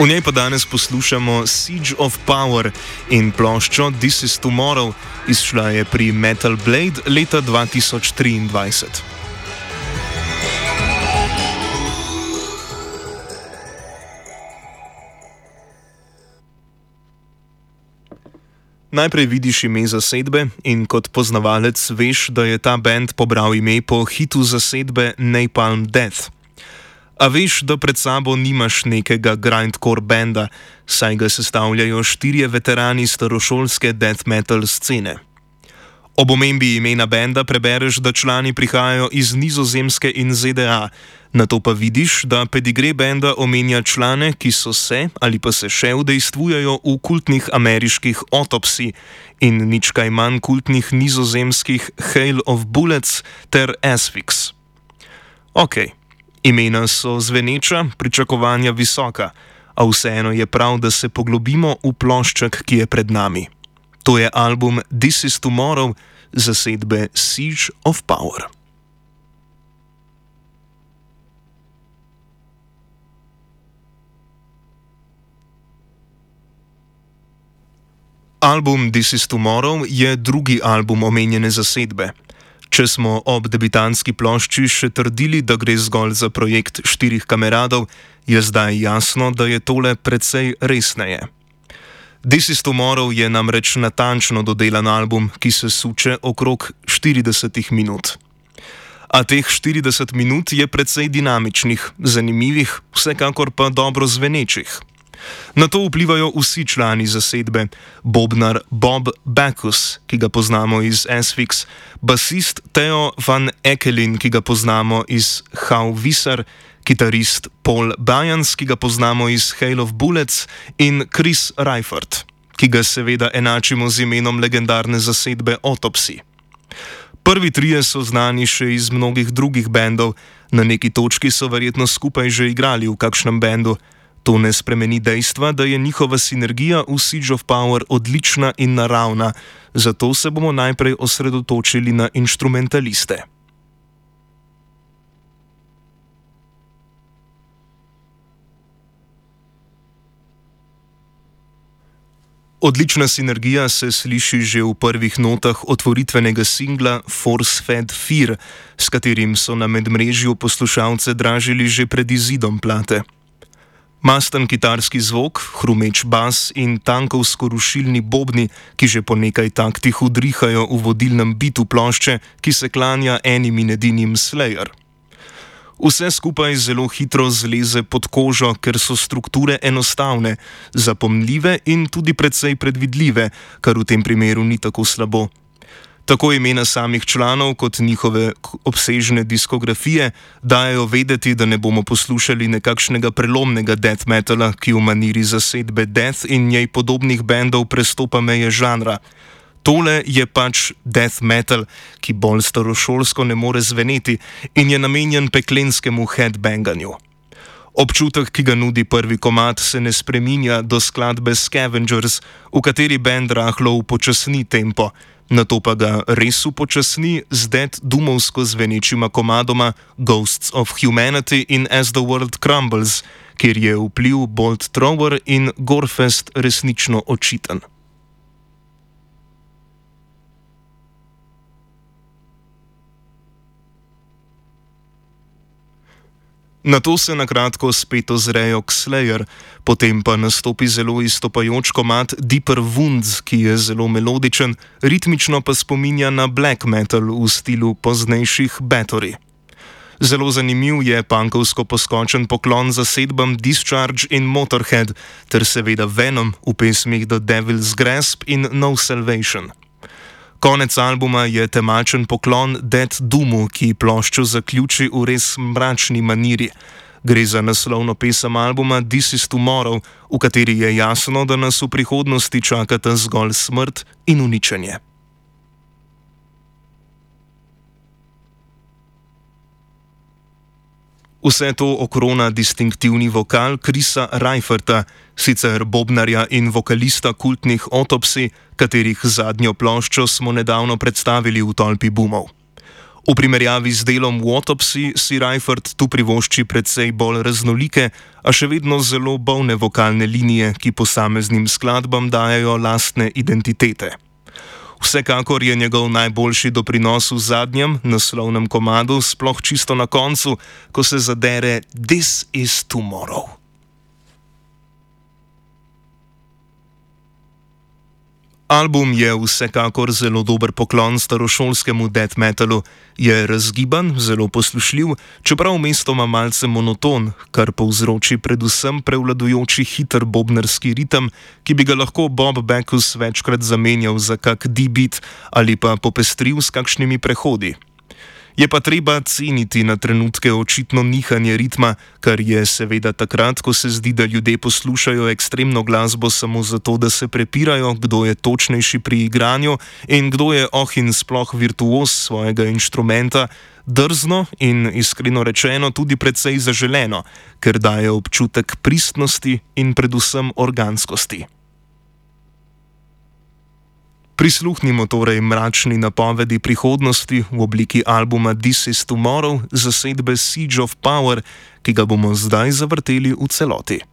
V njej pa danes poslušamo Siege of Power in ploščo This is Tomorrow, izšla je pri Metal Blade leta 2023. Najprej vidiš ime zasedbe in kot poznavalec veš, da je ta band pobral ime po hitu zasedbe Napalm Death. A veš, da pred sabo nimaš nekega grindcore benda, saj ga sestavljajo 4 veterani starošolske death metal scene. Ob omembi imena benda prebereš, da člani prihajajo iz Nizozemske in ZDA, nato pa vidiš, da pedigre benda omenja člane, ki so se ali pa se še udejstvujejo v kultnih ameriških Autopsy in nič kaj manj kultnih nizozemskih Hail of Bullets ter Asphyx. Okej. Imena so zveneča, pričakovanja visoka, a vseeno je prav, da se poglobimo v plošček, ki je pred nami. To je album This is Tomorrow zasedbe Siege of Power. Album This is Tomorrow je drugi album omenjene zasedbe. Če smo ob debitantski plošči še trdili, da gre zgolj za projekt 4 kameradov, je zdaj jasno, da je tole precej resneje. This is Tomorrow je namreč natančno dodelan album, ki se suče okrog 40 minut. A teh 40 minut je precej dinamičnih, zanimivih, vsekakor pa dobro zvenečih. Na to vplivajo vsi člani zasedbe, bobnar Bob Backus, ki ga poznamo iz Asphyx, basist Theo van Ekelin, ki ga poznamo iz How Visser, kitarist Paul Byans, ki ga poznamo iz Hail of Bullets, in Chris Reifert, ki ga seveda enačimo z imenom legendarne zasedbe Autopsy. Prvi trije so znani še iz mnogih drugih bendov, na neki točki so verjetno skupaj že igrali v kakšnem bendu. To ne spremeni dejstva, da je njihova sinergija v Siege of Power odlična in naravna, zato se bomo najprej osredotočili na inštrumentaliste. Odlična sinergija se sliši že v prvih notah otvoritvenega singla Force Fed Fear, s katerim so na medmrežju poslušalce dražili že pred izidom plate. Masten kitarski zvok, hrumeč bas in tankovsko-rušilni bobni, ki že po nekaj taktih udrihajo v vodilnem bitu plošče, ki se klanja enim in edinim Slayer. Vse skupaj zelo hitro zleze pod kožo, ker so strukture enostavne, zapomljive in tudi precej predvidljive, kar v tem primeru ni tako slabo. Tako imena samih članov kot njihove obsežne diskografije dajo vedeti, da ne bomo poslušali nekakšnega prelomnega death metala, ki v maniri zasedbe Death in njej podobnih bendov prestopa meje žanra. Tole je pač death metal, ki bolj starošolsko ne more zveneti in je namenjen peklenskemu headbanganju. Občutek, ki ga nudi prvi komad, se ne spreminja do skladbe Scavengers, v kateri bend rahlo upočasni tempo. Nato pa ga res upočasni z death doomovsko zvenečima komadoma Ghosts of Humanity in As the World Crumbles, kjer je vpliv Bolt Thrower in Gorefest resnično očiten. Nato se nakratko spet ozrejo k Slayer, potem pa nastopi zelo izstopajoč komad Deeper Wounds, ki je zelo melodičen, ritmično pa spominja na black metal v stilu poznejših Bathory. Zelo zanimiv je punkovsko poskočen poklon zasedbam Discharge in Motorhead, ter seveda Venom v pesmih The Devil's Grasp in No Salvation. Konec albuma je temačen poklon Death Doomu, ki ploščo zaključi v res mračni maniri. Gre za naslovno pesem albuma This is Tomorrow, v kateri je jasno, da nas v prihodnosti čakata zgolj smrt in uničenje. Vse to okrona distinktivni vokal Chrisa Reiferta, sicer bobnarja in vokalista kultnih Autopsy, katerih zadnjo ploščo smo nedavno predstavili v Tolpi Boomov. V primerjavi z delom Autopsy si Reifert tu privošči precej bolj raznolike, a še vedno zelo bolne vokalne linije, ki posameznim skladbam dajo lastne identitete. Vsekakor je njegov najboljši doprinos v zadnjem, naslovnem komadu, sploh čisto na koncu, ko se zadere This is Tomorrow. Album je vsekakor zelo dober poklon starošolskemu death metalu, je razgiban, zelo poslušljiv, čeprav mestoma malce monoton, kar povzroči predvsem prevladujoči hiter bobnarski ritem, ki bi ga lahko Bob Backus večkrat zamenjal za kak D-beat ali pa popestril s kakšnimi prehodi. Je pa treba ceniti na trenutke očitno nihanje ritma, kar je seveda takrat, ko se zdi, da ljudje poslušajo ekstremno glasbo samo zato, da se prepirajo, kdo je točnejši pri igranju in kdo je in sploh virtuoz svojega inštrumenta, drzno in iskreno rečeno tudi precej zaželeno, ker daje občutek pristnosti in predvsem organskosti. Prisluhnimo torej mračni napovedi prihodnosti v obliki albuma This is Tomorrow zasedbe Siege of Power, ki ga bomo zdaj zavrteli v celoti.